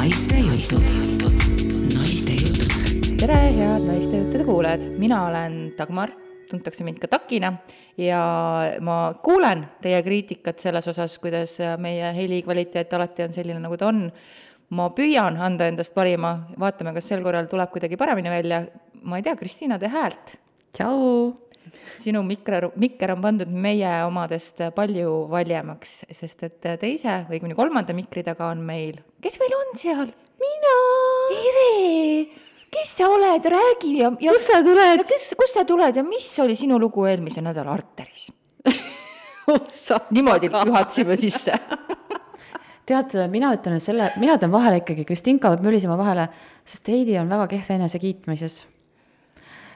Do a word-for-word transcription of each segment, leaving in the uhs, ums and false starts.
Naiste jutud. Naiste jutud. Tere, head naiste juttude kuulajad. Mina olen Dagmar, tuntakse mind ka Takina ja ma kuulen teie kriitikat selles osas, kuidas meie heli kvaliteet alati on selline, nagu ta on. Ma püüan anda endast parima, vaatame, kas sel korral tuleb kuidagi paremini välja. Ma ei tea, Kristiina, tee häält. Tšau! Sinu mikker, mikker on pandud meie omadest palju valjemaks, sest et teise või kuni kolmanda mikri taga on meil. Kes meil on seal? Mina! Tere! Kes sa oled? Räägi ja, ja kus sa tuled? Ja kes, kus sa tuled ja mis oli sinu lugu eelmise nädala Arteris? Niimoodi juhatsime sisse. Tead, mina ütlen, selle, mina ütlen vahele ikkagi, Kristinka võib mülisema vahele, sest Heidi on väga kehv enese kiitmises.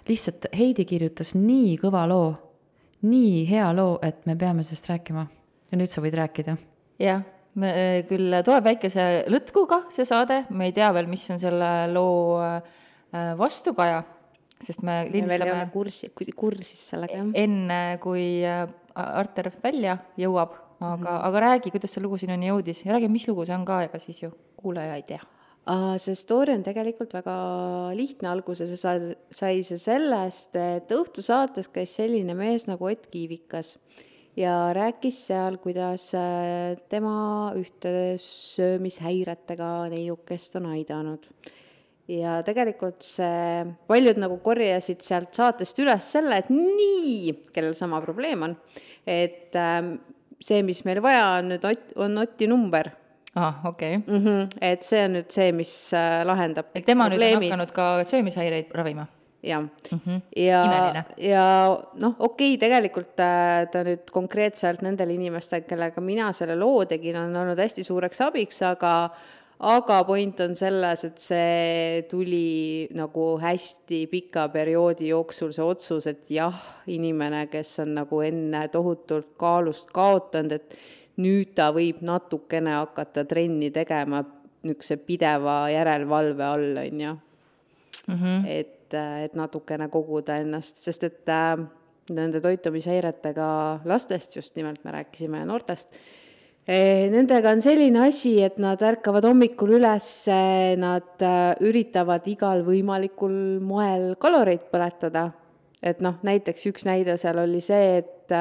Lihtsalt Heidi kirjutas nii kõva loo, nii hea loo, et me peame sellest rääkima. Ja nüüd sa võid rääkida. Jah, me küll tuleb väikese lõtkuga see saade, me ei tea veel, mis on selle loo vastukaja, sest me lindistame veel kursi, kursis sellega. Enne, kui Arter välja jõuab, aga, mm-hmm. aga räägi, kuidas see lugu sinuni jõudis ja räägi, mis lugu see on ka, ega siis ju kuulaja ei tea. See story on tegelikult väga lihtne alguse, see sai see sellest, et õhtusaates käis selline mees nagu Ott Kiivikas ja rääkis seal, kuidas tema ühte söömishäiretega neiukest on aidanud. Ja tegelikult see, paljud nagu korjasid sealt saatest üles selle, et nii, kellel sama probleem on, et see, mis meil vaja on, nüüd on Otti number. Ah, okei. Okay. Mm-hmm. Et see on nüüd see, mis lahendab et tema probleemid. Nüüd on hakanud ka söömishäireid ravima. Ja, mm-hmm. ja, Imeline. ja noh, okei, okay, tegelikult ta nüüd konkreetselt nendel inimestel, kellega mina selle loo tegin, on olnud hästi suureks abiks, aga aga point on selles, et see tuli nagu hästi pika perioodi jooksul see otsus, et jah, inimene, kes on nagu enne tohutult kaalust kaotanud, et nüüd ta võib natukene hakata trenni tegema niisuguse pideva järelvalve all, on ju. Mm-hmm. Et, et natukene koguda ennast, sest et äh, nende toitumishäiretega lastest, just nimelt me rääkisime noortest, e, nendega on selline asi, et nad ärkavad hommikul üles, nad äh, üritavad igal võimalikul moel kaloreid põletada. Et noh, näiteks üks näide seal oli see, et,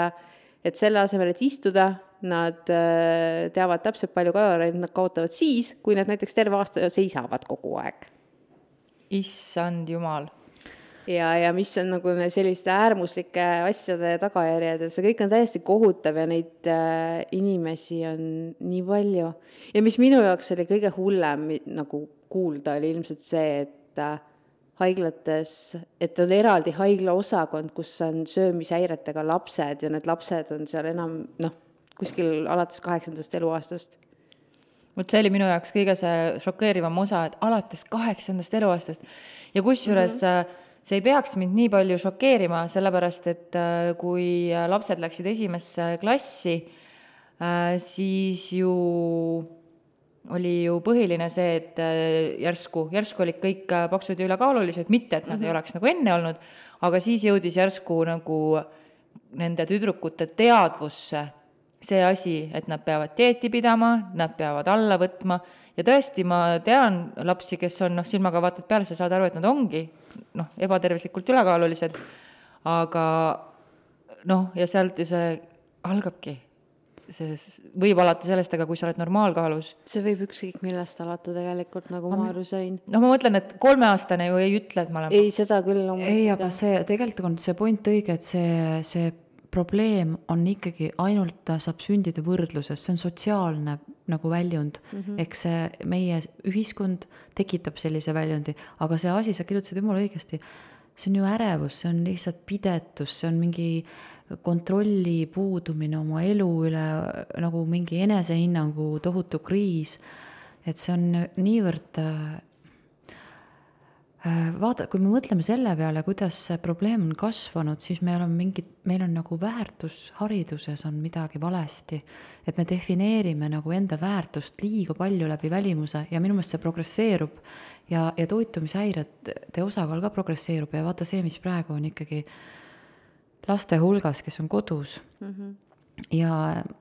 et selle asemel, et istuda, nad teavad täpselt palju kaloreid, nad kaotavad siis, kui nad näiteks terve aasta seisavad kogu aeg. Issand jumal. Ja, ja mis on nagu selliste äärmuslike asjade tagajärjed, et see kõik on täiesti kohutav ja neid äh, inimesi on nii palju. Ja mis minu jaoks oli kõige hullem nagu kuulda, oli ilmselt see, et äh, haiglates, et on eraldi haigla osakond, kus on söömishäiretega lapsed ja need lapsed on seal enam, noh, kuskil alates kaheksandast eluaastast. Mut see oli minu jaoks kõige see šokeerivam osa, et alates kaheksandast eluaastast. Ja kusjuures mm-hmm. see ei peaks mind nii palju šokeerima, sellepärast, et kui lapsed läksid esimesse klassi, siis ju oli ju põhiline see, et järsku, järsku olid kõik paksud ja ülekaalulised, mitte, et nad mm-hmm. ei oleks nagu enne olnud, aga siis jõudis järsku nagu nende tüdrukute teadvusse see asi, et nad peavad dieeti pidama, nad peavad alla võtma ja tõesti ma tean lapsi, kes on noh, silmaga vaatad peale, sa saad aru, et nad ongi noh, ebatervislikult ülekaalulised, aga noh, ja sealt ju see algabki. See võib alata sellest, aga kui sa oled normaalkaalus. See võib ükskõik millest alata tegelikult, nagu ma aru sain. No ma mõtlen, et kolmeaastane ju ei ütle, et ma olen... Ei, seda küll. Ei, aga see, tegelikult on see point õige, et see, see probleem on ikkagi ainult saab sündida võrdluses, see on sotsiaalne nagu väljund, mm-hmm. eks see meie ühiskond tekitab sellise väljundi, aga see asi, sa kirjutasid jumala õigesti, see on ju ärevus, see on lihtsalt pidetus, see on mingi kontrolli puudumine oma elu üle, nagu mingi enesehinnangu tohutu kriis, et see on niivõrd vaata, kui me mõtleme selle peale, kuidas see probleem on kasvanud, siis meil on mingi, meil on nagu väärtus hariduses on midagi valesti, et me defineerime nagu enda väärtust liiga palju läbi välimuse ja minu meelest see progresseerub ja, ja toitumishäirete osakaal ka progresseerub ja vaata see, mis praegu on ikkagi laste hulgas, kes on kodus. Mm-hmm. Ja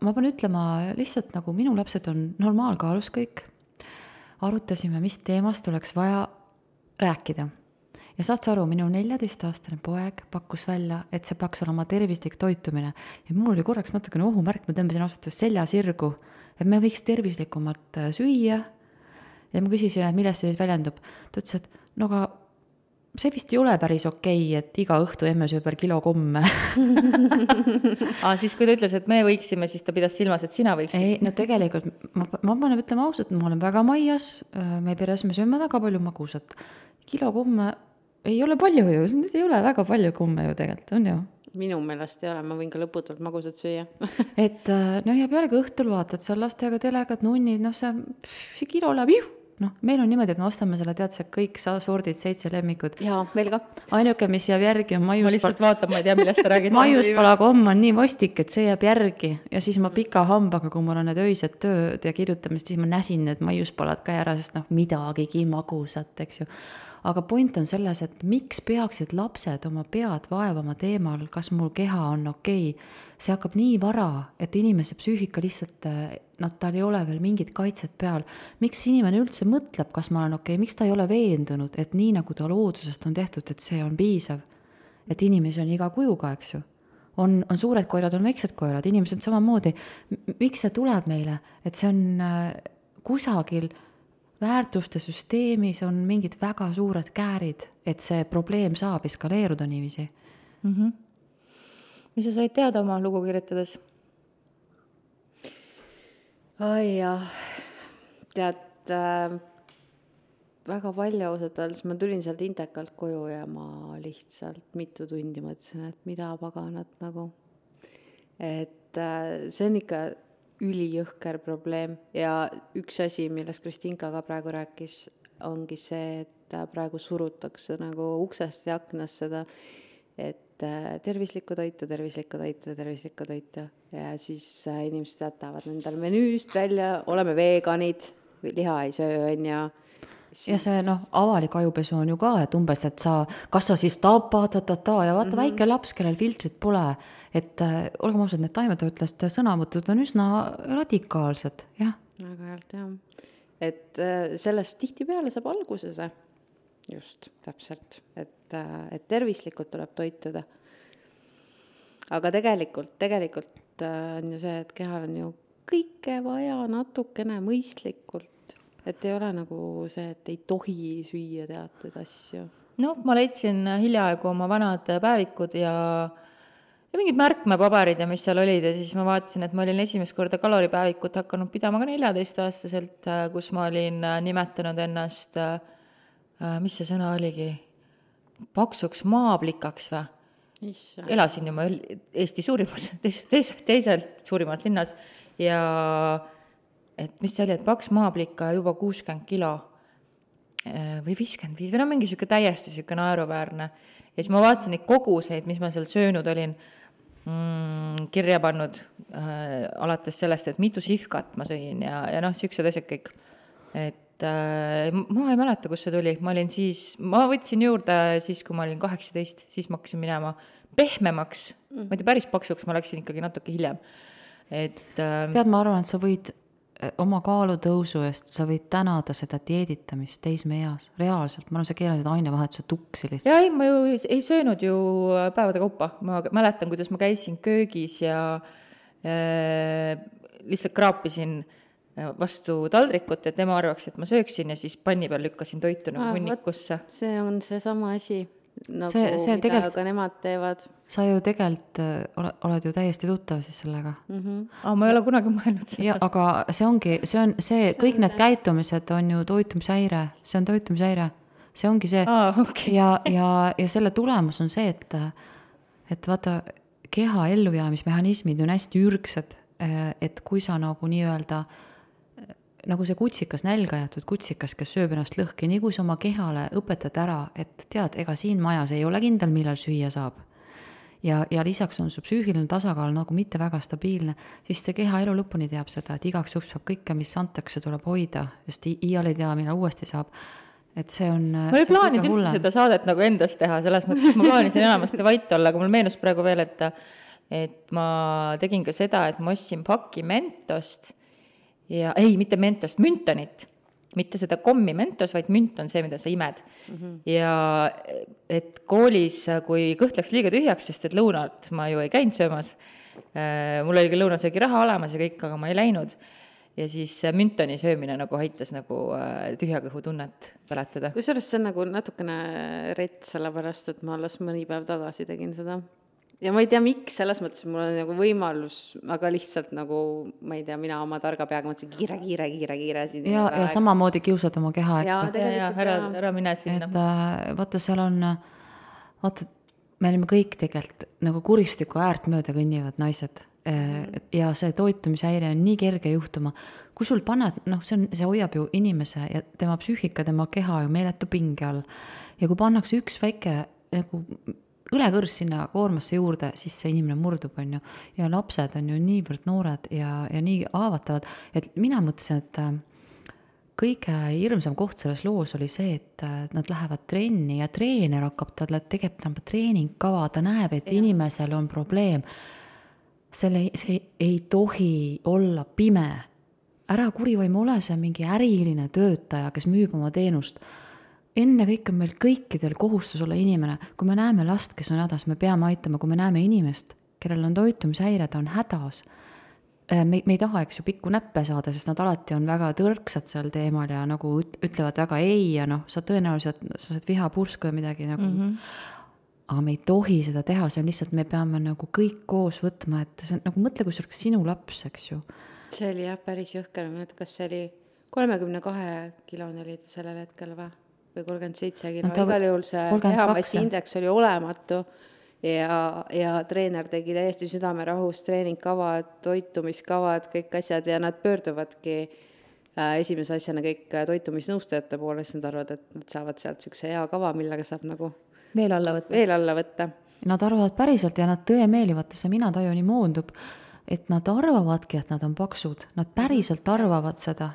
ma pean ütlema lihtsalt nagu minu lapsed on normaalkaalus kõik. arutasime, mis teemast oleks vaja rääkida. Ja saad sa aru, minu neljateistaastane poeg pakkus välja, et see peaks olema tervislik toitumine. Ja mul oli korraks natukene ohumärk, ma tõmbasin ausalt selja sirgu, et me võiks tervislikumat süüa. Ja ma küsisin, et millest see siis väljendub. Ta ütles, et no aga see vist ei ole päris okei, et iga õhtu emme sööb veel kilo komme. Aa, siis kui ta ütles, et me võiksime, siis ta pidas silmas, et sina võiksid. Ei, no tegelikult ma, ma panen ütlema ausalt, ma olen väga maias, me peres me sööme väga palju magusat. Kilo komme ei ole palju ju, see ei ole väga palju komme ju tegelikult, on ju. Minu meelest ei ole, ma võin ka lõputult magusat süüa. et no ja pealegi õhtul vaatad seal lastega telekat, nunnid, noh see, see kilo läheb juh. Noh, meil on niimoodi, et me ostame selle, tead, see kõik sordid, seitse lemmikud. Jaa, meil ka. Ainuke, mis jääb järgi on Ma maiuspala. lihtsalt vaatan, ma ei tea, millest sa räägid. Maiuspala komm on nii vastik, et see jääb järgi. Ja siis ma pika hambaga, kui mul on need öised tööd ja kirjutamist, siis ma näsin need maiuspalad ka ära, sest noh, midagigi magusat, eks ju. Aga point on selles, et miks peaksid lapsed oma pead vaevama teemal, kas mul keha on okei. See hakkab nii vara, et inimese psüühika lihtsalt, no tal ei ole veel mingit kaitset peal. Miks inimene üldse mõtleb, kas ma olen okei, miks ta ei ole veendunud, et nii nagu ta loodusest on tehtud, et see on piisav. Et inimesi on iga kujuga, eks ju. On, on suured koerad, on väiksed koerad, inimesed samamoodi. Miks see tuleb meile? Et see on kusagil väärtuste süsteemis on mingid väga suured käärid, et see probleem saab eskaleeruda niiviisi. Mm-hmm. Mis sa said teada oma lugu kirjutades? Ai jah, tead, äh, väga palju ausalt öeldes, ma tulin sealt Indekalt koju ja ma lihtsalt mitu tundi mõtlesin, et mida paganat nagu. Et äh, see on ikka ülijõhker probleem ja üks asi, millest Kristinka ka praegu rääkis, ongi see, et praegu surutakse nagu uksest ja aknast seda, et tervislikku toitu, tervislikku toitu, tervislikku toitu ja siis inimesed jätavad nendel menüüst välja, oleme veganid, liha ei söö, on ja siis... ja see noh, avalik ajupesu on ju ka, et umbes, et sa, kas sa siis tapa, ta, ta, ta ja vaata mm-hmm. väike laps, kellel filtrit pole, et äh, olgem ausad, need taimetoitlast sõnavõtud on üsna radikaalsed, jah. Väga healt, jah. Et äh, sellest tihtipeale saab alguse see, just, täpselt, et, äh, et tervislikult tuleb toituda. Aga tegelikult, tegelikult äh, on ju see, et kehal on ju kõike vaja natukene mõistlikult, et ei ole nagu see, et ei tohi süüa teatud asju. No, ma leidsin hiljaaegu oma vanad päevikud ja ja mingid märkmepaberid ja mis seal olid ja siis ma vaatasin, et ma olin esimest korda kaloripäevikut hakanud pidama ka neljateist-aastaselt, kus ma olin nimetanud ennast, mis see sõna oligi, paksuks maaplikaks või? Issa. Elasin ju ma Eesti suurimas, teis, teis, teiselt suurimas linnas ja et mis see oli, et paks maaplika juba kuuskümmend kilo või viiskümmend viis või no mingi siuke täiesti siuke naeruväärne ja siis ma vaatasin neid koguseid, mis ma seal söönud olin, mm, kirja pannud äh, alates sellest, et mitu sihkat ma sõin ja, ja noh, siuksed asjad kõik. Et äh, ma ei mäleta, kus see tuli. Ma olin siis, ma võtsin juurde siis, kui ma olin kaheksateist, siis ma hakkasin minema pehmemaks. Mm. Ma ei tea, päris paksuks ma läksin ikkagi natuke hiljem. Et, äh, Tead, ma arvan, et sa võid oma kaalutõusu eest, sa võid tänada seda dieeditamist teismeeas, reaalselt, ma olen see keelased ainevahetuse tuksi lihtsalt. Ja ei, ma ju ei söönud ju päevade kaupa, ma mäletan, kuidas ma käisin köögis ja äh, lihtsalt kraapisin vastu taldrikut, et tema arvaks, et ma sööksin ja siis panni peal lükkasin toitu nagu hunnikusse. See on see sama asi, nagu see, see mida tegelt... ka nemad teevad. Sa ju tegelikult oled ju täiesti tuttav siis sellega. Mm-hmm. Aa, ma ei ole kunagi mõelnud seda. Ja, aga see ongi, see on see, see kõik on need see. Käitumised on ju toitumishäire, see on toitumishäire, see ongi see. Aa, okay. ja, ja, ja selle tulemus on see, et, et vaata, keha ellujäämismehhanismid on hästi ürgsed, et kui sa nagu nii-öelda nagu see kutsikas, nälga jätud kutsikas, kes sööb ennast lõhki, nii kui sa oma kehale õpetad ära, et tead, ega siin majas ei ole kindel, millal süüa saab. Ja, ja lisaks on su psüühiline tasakaal nagu mitte väga stabiilne, siis see keha elu lõpuni teab seda, et igaks juks peab kõike, mis antakse, tuleb hoida, sest iial ei tea, millal uuesti saab. Et see on, ma ei plaaninud üldse seda saadet nagu endast teha, selles mõttes, ma plaanisin enamasti vait olla, aga mul meenus praegu veel, et, et ma tegin ka seda, et ma ostsin paki mentost ja ei, mitte mentost, müntanit mitte seda kommi Mentos, vaid münt on see, mida sa imed mm-hmm. ja et koolis, kui kõht läks liiga tühjaks, sest et lõunalt ma ju ei käinud söömas, mul oli küll lõunasöögi raha olemas ja kõik, aga ma ei läinud ja siis müntoni söömine nagu aitas nagu tühja kõhu tunnet päletada. Kusjuures see on nagu natukene rett, sellepärast, et ma alles mõni päev tagasi tegin seda. Ja ma ei tea, miks, selles mõttes mul on nagu võimalus, aga lihtsalt nagu, ma ei tea, mina oma targa peaga mõtlesin kiire, kiire, kiire, kiire. Siin ja, ja samamoodi kiusad oma keha, eks. Ja, ja, ja ära, ära mine sinna. Et vaata, seal on, vaata, me olime kõik tegelikult nagu kuristiku äärt mööda kõnnivad naised. Ja see toitumishäire on nii kerge juhtuma. Kui sul paned, noh, see, on, see hoiab ju inimese ja tema psüühika, tema keha ju meeletu pinge all. Ja kui pannakse üks väike nagu õlekõrs sinna koormasse juurde, siis see inimene murdub, on ju. Ja lapsed on ju niivõrd noored ja, ja nii haavatavad. Et mina mõtlesin, et kõige hirmsam koht selles loos oli see, et nad lähevad trenni ja treener hakkab talle tegema treeningkava, ta näeb, et ja. Inimesel on probleem. Selle, see ei tohi olla pime. Ära kurivaim ole see mingi äriline töötaja, kes müüb oma teenust. Enne kõik on meil kõikidel kohustus olla inimene. Kui me näeme last, kes on hädas, me peame aitama. Kui me näeme inimest, kellel on toitumishäire, ta on hädas. Me, me ei taha, eks ju, pikku näppe saada, sest nad alati on väga tõrksad seal teemal ja nagu ütlevad väga ei ja noh, sa tõenäoliselt sa saad viha purska või midagi nagu... Mm-hmm. Aga me ei tohi seda teha, see on lihtsalt, me peame nagu kõik koos võtma, et see on nagu mõtle, kui see oleks sinu laps, eks ju. See oli jah, päris jõhker, kas see oli kolmekümne kahe kilone oli ta sellel hetkel või? Või kolmkümmend seitse kilo, no, igal juhul see kehamassi indeks oli olematu ja, ja treener tegi täiesti südamerahus treeningkavad, toitumiskavad, kõik asjad ja nad pöörduvadki äh, esimese asjana kõik toitumisnõustajate poole, siis nad arvad, et nad saavad sealt sükse hea kava, millega saab nagu veel alla võtta. Veel alla võtta. Nad arvavad päriselt ja nad tõe meelivata, see mina taju nii moondub, et nad arvavadki, et nad on paksud. Nad päriselt arvavad seda.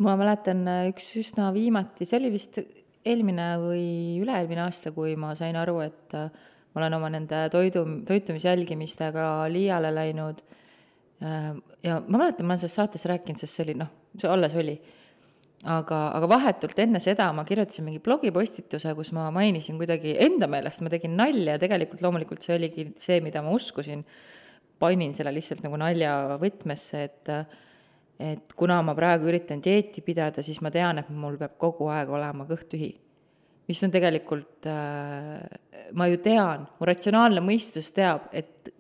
Ma mäletan üks üsna viimati, see oli vist eelmine või üle-eelmine aasta, kui ma sain aru, et ma olen oma nende toidu, toitumisjälgimistega liiale läinud. Ja ma mäletan, ma olen selles saates rääkinud, sest see oli, noh, see alles oli. Aga, aga vahetult enne seda ma kirjutasin mingi blogipostituse, kus ma mainisin kuidagi enda meelest, ma tegin nalja ja tegelikult loomulikult see oligi see, mida ma uskusin. Panin selle lihtsalt nagu nalja võtmesse, et, et kuna ma praegu üritan dieeti pidada, siis ma tean, et mul peab kogu aeg olema kõht tühi. Mis on tegelikult, ma ju tean, mu ratsionaalne mõistus teab, et,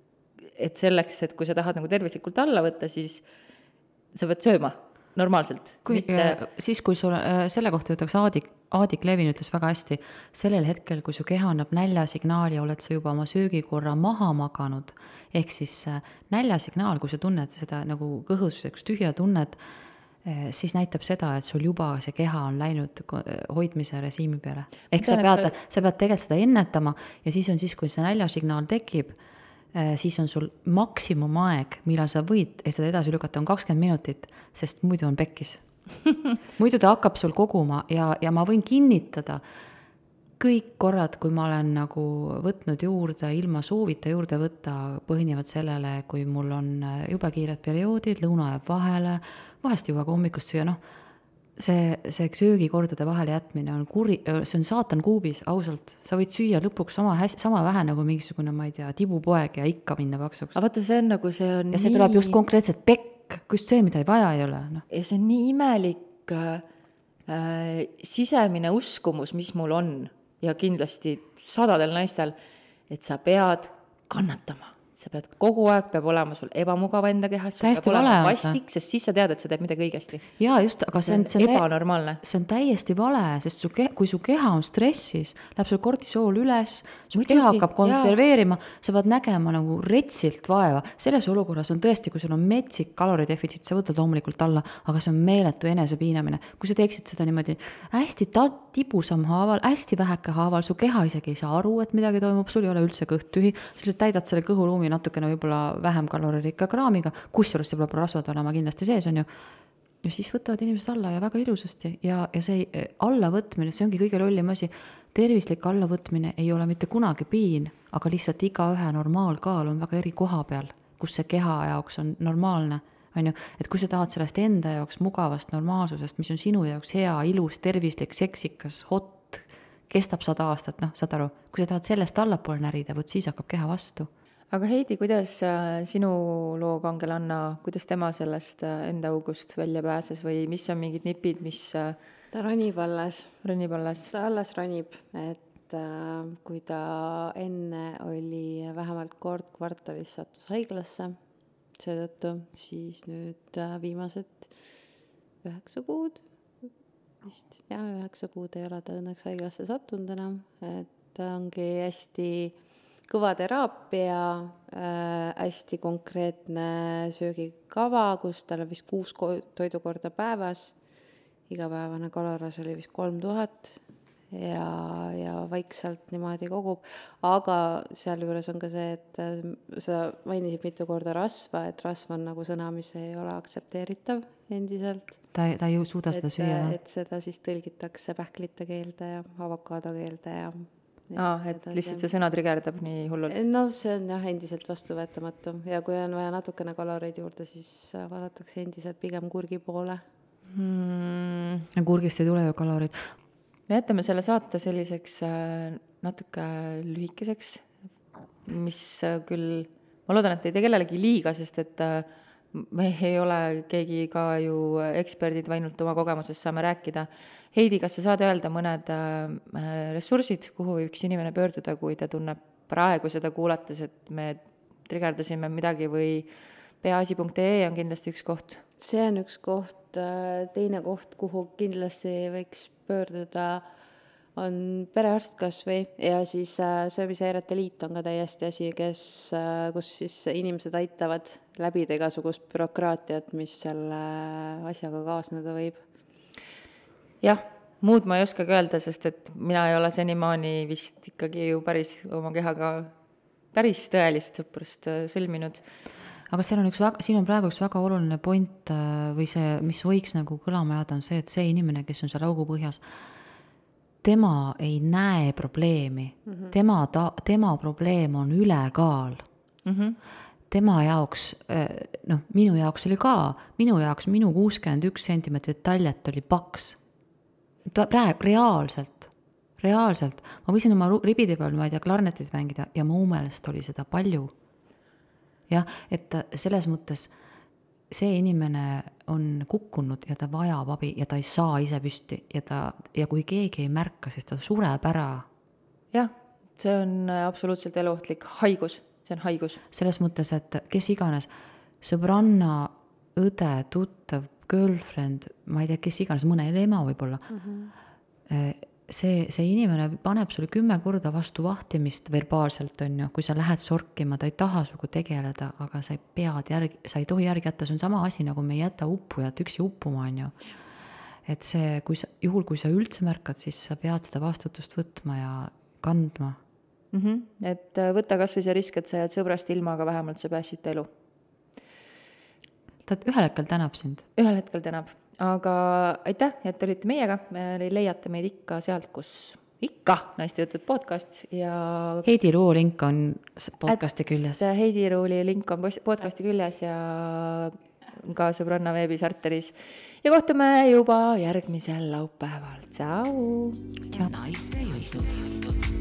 et selleks, et kui sa tahad nagu tervislikult alla võtta, siis sa pead sööma. Normaalselt. Kui, mitte... Siis, kui sul, selle kohta ütleks Aadik, Aadik Levin ütles väga hästi, sellel hetkel, kui su keha annab näljasignaali, oled sa juba oma söögikorra maha maganud. Ehk siis näljasignaal, kui sa tunned seda nagu kõhuseks tühja tunned, siis näitab seda, et sul juba see keha on läinud hoidmise režiimi peale. Ehk sa pead, sa pead tegelikult seda ennetama ja siis on siis, kui see näljasignaal tekib, siis on sul maksimumaeg, millal sa võid seda edasi lükata, on kakskümmend minutit, sest muidu on pekkis. Muidu ta hakkab sul koguma ja, ja ma võin kinnitada kõik korrad, kui ma olen nagu võtnud juurde, ilma soovita juurde võtta, põhinevad sellele, kui mul on jube kiired perioodid, lõuna jääb vahele, vahest juba ka hommikust süüa, noh, see, see söögikordade vahele jätmine on kuri, see on saatan kuubis, ausalt. Sa võid süüa lõpuks sama, sama vähe nagu mingisugune, ma ei tea, tibupoeg ja ikka minna paksuks. Aga vaata, see on nagu see on ja see nii... tuleb just konkreetselt pekk, just see, mida ei vaja ei ole. No. Ja see on nii imelik äh, sisemine uskumus, mis mul on ja kindlasti sadadel naistel, et sa pead kannatama. Sa pead kogu aeg, peab olema sul ebamugav enda kehas, sul täiesti peab olema vale, vastik, sest siis sa tead, et sa teed midagi õigesti. Jaa, just, aga see on, see on ebanormaalne. See on täiesti vale, sest su ke, kui su keha on stressis, läheb sul kortisool üles, su Muidugi, keha hakkab konserveerima, jaa. Sa pead nägema nagu retsilt vaeva. Selles olukorras on tõesti, kui sul on metsik kaloridefitsiit, sa võtad loomulikult alla, aga see on meeletu enesepiinamine. Kui sa teeksid seda niimoodi hästi ta, tibusam haaval, hästi väheke haaval, su keha isegi ei saa aru, et midagi toimub, sul ei ole üldse kõht tühi, sa täidad selle kõhuruumi natukene võib-olla vähem kaloririkka kraamiga, kusjuures see peab rasvad olema kindlasti sees, on ju. Ja siis võtavad inimesed alla ja väga ilusasti. Ja, ja see allavõtmine, see ongi kõige lollim asi. Tervislik allavõtmine ei ole mitte kunagi piin, aga lihtsalt iga ühe normaalkaal on väga eri koha peal, kus see keha jaoks on normaalne. on ju, et kui sa tahad sellest enda jaoks mugavast normaalsusest, mis on sinu jaoks hea, ilus, tervislik, seksikas, hot, kestab sada aastat, noh, saad aru, kui sa tahad sellest allapoole närida, võt siis hakkab keha vastu. aga Heidi, kuidas sinu loo kangelanna, kuidas tema sellest enda august välja pääses või mis on mingid nipid, mis ta ronib alles. ronib alles? ta alles ronib, et äh, kui ta enne oli vähemalt kord kvartalis sattus haiglasse, seetõttu siis nüüd äh, viimased üheksa kuud, vist jah, üheksa kuud ei ole ta õnneks haiglasse sattunud enam, et ongi hästi kõva teraapia, äh, hästi konkreetne söögikava, kus tal on vist kuus toidukorda päevas, igapäevane kaloras oli vist kolm tuhat ja, ja vaikselt niimoodi kogub, aga seal juures on ka see, et sa mainisid mitu korda rasva, et rasv on nagu sõna, mis ei ole aktsepteeritav endiselt. Ta, ta ei suuda seda et, süüa. Et seda siis tõlgitakse pähklite keelde ja avokaado keelde ja Aa, et lihtsalt see sõna trigerdab nii hullult. No see on jah endiselt vastuvõetamatu ja kui on vaja natukene kaloreid juurde, siis vaadatakse endiselt pigem kurgi poole. Hmm. Kurgist ei tule ju kalorid. Me jätame selle saate selliseks natuke lühikeseks, mis küll, ma loodan, et ei tee kellelegi liiga, sest et me ei ole keegi ka ju eksperdid, vainult oma kogemusest saame rääkida. Heidi, kas sa saad öelda mõned ressursid, kuhu üks inimene pöörduda, kui ta tunneb praegu seda kuulates, et me trigerdasime midagi või peaasi punkt ee on kindlasti üks koht? See on üks koht, teine koht, kuhu kindlasti võiks pöörduda, on perearst kas või ja siis söömishäirete liit on ka täiesti asi, kes, kus siis inimesed aitavad läbida igasugust bürokraatiat, mis selle asjaga kaasneda võib. Jah, muud ma ei oskagi öelda, sest et mina ei ole senimaani vist ikkagi ju päris oma kehaga päris tõelist sõprust sõlminud. Aga seal on üks, siin on praegu üks väga oluline point või see, mis võiks nagu kõlama jääda, on see, et see inimene, kes on seal augu põhjas, tema ei näe probleemi. Mm-hmm. Tema, ta, tema probleem on ülekaal. Mm-hmm. Tema jaoks, noh, minu jaoks oli ka, minu jaoks minu kuuskümmend üks sentimeetrit taljet oli paks. Ta praegu reaalselt, reaalselt. Ma võisin oma ribide peal, ma ei tea, klarnetit mängida ja mu meelest oli seda palju. Jah, et selles mõttes see inimene on kukkunud ja ta vajab abi ja ta ei saa ise püsti ja, ta, ja kui keegi ei märka, siis ta sureb ära. Jah, see on absoluutselt eluohtlik haigus, see on haigus. Selles mõttes, et kes iganes, sõbranna, õde, tuttav, girlfriend, ma ei tea, kes iganes, mõne ema võib-olla, mm-hmm. see, see inimene paneb sulle kümme korda vastu vahtimist verbaalselt, on ju, kui sa lähed sorkima, ta ei taha sugu tegeleda, aga sa ei pead järgi, sa ei tohi järgi jätta, see on sama asi, nagu me ei jäta uppujat üksi uppuma, on ju. Et see, kui sa, juhul kui sa üldse märkad, siis sa pead seda vastutust võtma ja kandma. Mm-hmm. Et võta kas või see risk, et sa jääd sõbrast ilma, aga vähemalt sa pääsid elu. Ta ühel hetkel tänab sind. Ühel hetkel tänab. Aga aitäh, et olite meiega. Me leiate meid ikka sealt, kus ikka Naiste Jutud podcast. Ja Heidi Ruu link on podcasti küljes. Heidi Ruuli link on podcasti küljes ja ka sõbranna veebisarteris. Ja kohtume juba järgmisel laupäeval. Tšau! Naiste Jutud.